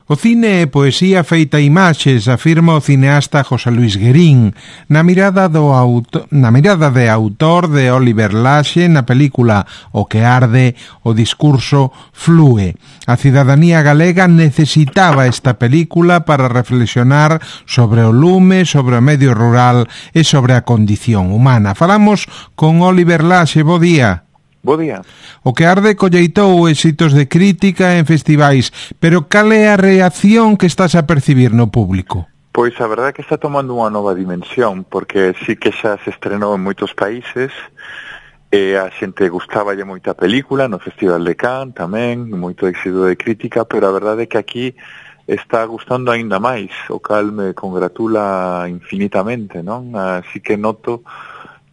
O cine é poesía feita imaxes, afirma o cineasta José Luis Guerín, na mirada de autor de Oliver Laxe na película O que arde, o discurso flúe. A cidadanía galega necesitaba esta película para reflexionar sobre o lume, sobre o medio rural e sobre a condición humana. Falamos con Oliver Laxe, bo día. Bo día. O que arde colleitou éxitos de crítica en festivais, pero cal é a reacción que estás a percibir no público? Pois a verdade é que está tomando unha nova dimensión, porque sí que xa se estrenou en moitos países, e a xente gustáballe moita película, no Festival de Cannes tamén, moito éxito de crítica, pero a verdade é que aquí está gustando aínda máis, o cal me congratula infinitamente, non? Así que noto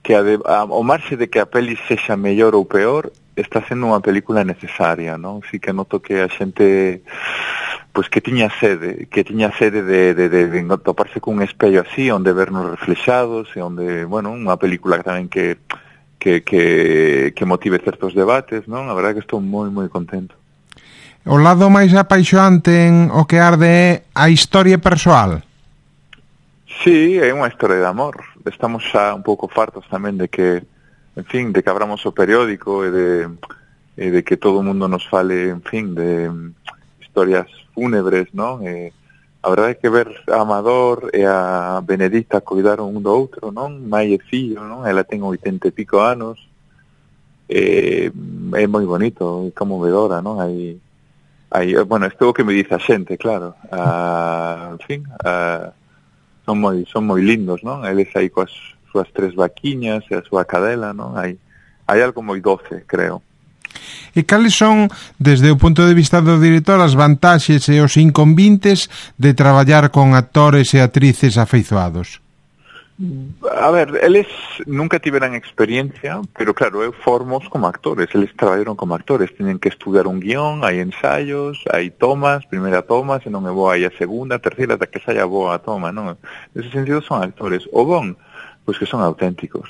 que ao marxe de que a peli sexa mellor ou peor, está sendo unha película necesaria, non? Si que noto que a xente pois que tiña sede de toparse cun espello así, onde vernos reflexados e onde, bueno, unha película tamén que motive certos debates, non? A verdade é que estou moi moi contento. O lado máis apaixoante en O que arde é a historia persoal. Sí, é unha historia de amor. Estamos xa un pouco fartos tamén de que, en fin, de que abramos o periódico e de que todo o mundo nos fale, en fin, de historias fúnebres, non? A verdade é que ver a Amador e a Benedicta coidaron un do outro, non? Mai e fillo, non? Ela ten 80 e pico anos. É moi bonito, é conmovedora, non? Bueno, isto é o que me dice a xente, claro. En fin, son moi lindos, non? Eles aí coas súas 3 vaquiñas e a súa cadela, non? Hai algo moi doce, creo. E cales son, desde o punto de vista do director, as vantaxes e os inconvintes de traballar con actores e actrices afeizoados? A ver, eles nunca tiveran experiencia, pero claro, eu formos como actores, eles traballaron como actores, teñen que estudiar un guión, hai ensaios, hai tomas, primeira toma, se non é boa hai a segunda, a terceira, ata que saia boa a toma, non? Nese sentido son actores. O bon, pois que son auténticos.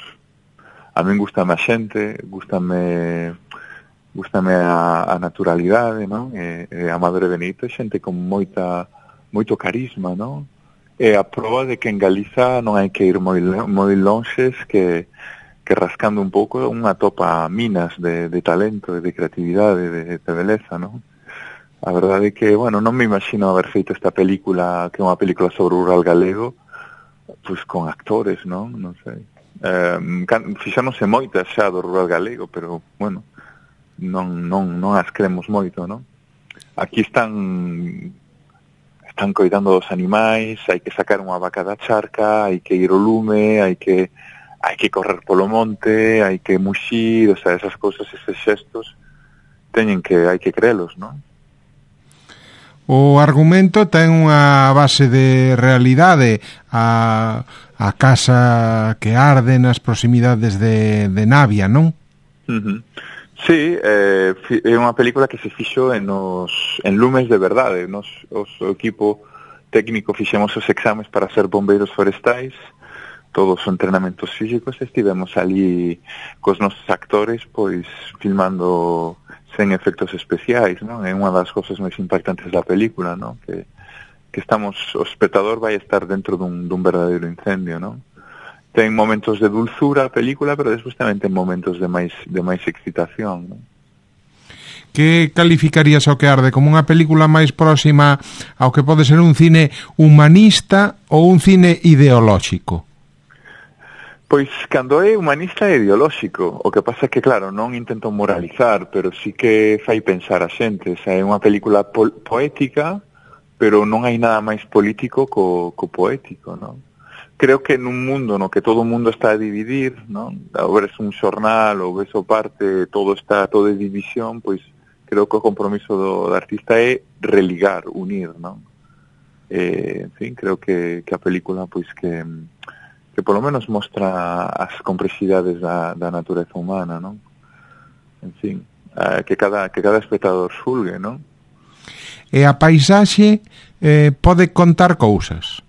A min gustame a xente, gustame a naturalidade, non? Amador e Benito é xente con moito carisma, non? É a proba de que en Galiza non hai que ir moi lonxes, que rascando un pouco unha topa minas de talento, de creatividade, de beleza, non? A verdade é que, bueno, non me imagino haber feito esta película, que é unha película sobre o rural galego, pois con actores, non? Non sei. Fixáronse moitas xa do rural galego, pero, bueno, non as cremos moito, non? Aquí están coidando dos animais, hai que sacar unha vaca da charca, hai que ir ao lume, hai que correr polo monte, hai que muxir, o sea, esas cousas, eses xestos, hai que crelos, non? O argumento ten unha base de realidade, a casa que arde nas proximidades de Navia, non? Sí, é unha película que se fixo en lumes de verdade. O equipo técnico fixemos os exames para ser bombeiros forestais, todos os entrenamentos físicos, estivemos ali cos nosos actores, pois, filmando sen efectos especiais, non? É unha das cousas máis impactantes da película, non? Que o espectador vai estar dentro dun verdadeiro incendio, non? Ten momentos de dulzura a película, pero despois tamén ten momentos de máis excitación, non? Que calificarías O que arde? Como unha película máis próxima ao que pode ser un cine humanista ou un cine ideolóxico? Pois, cando é humanista é ideolóxico. O que pasa é que, claro, non intento moralizar, pero sí que fai pensar a xente. É unha película poética, pero non hai nada máis político co poético, non? Creo que nun mundo no que todo o mundo está a dividir, non? Ou ves un xornal, ou ves o parte, todo é división, pois creo que o compromiso do artista é religar, unir, non? En fin, creo que a película, pois que polo menos mostra as complexidades da natureza humana, non? En fin, que cada espectador xulgue, non? E a paisaxe pode contar cousas?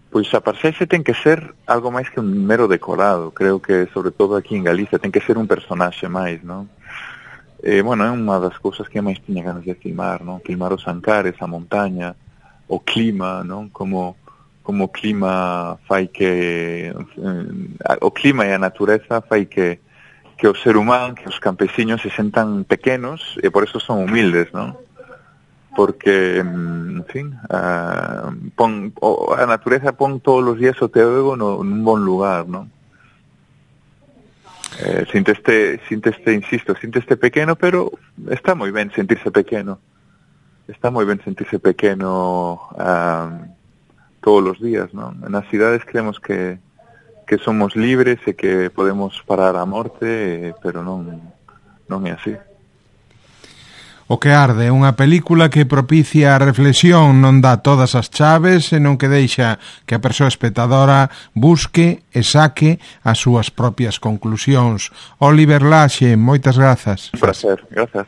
Pois a paisaxe ten que ser algo máis que un mero decorado. Creo que, sobre todo aquí en Galicia, ten que ser un personaxe máis, non? bueno, é unha das cousas que máis tiña ganas de filmar, non? Filmar os Ancares, a montaña, o clima, non? Como o clima fai que o clima e a natureza fai que o ser humano, que os campesiños se sentan pequenos e por eso son humildes, non? Porque, en fin, a natureza pon todos os días o teu ego nun bon lugar, non? Sínteste pequeno, pero está moi ben sentirse pequeno. Está moi ben sentirse pequeno todos os días, non? Nas cidades creemos que somos libres e que podemos parar a morte, pero non é así. O que arde, unha película que propicia a reflexión, non dá todas as chaves e non que deixa que a persoa espectadora busque e saque as súas propias conclusións. Oliver Laxe, moitas grazas. Un placer, grazas.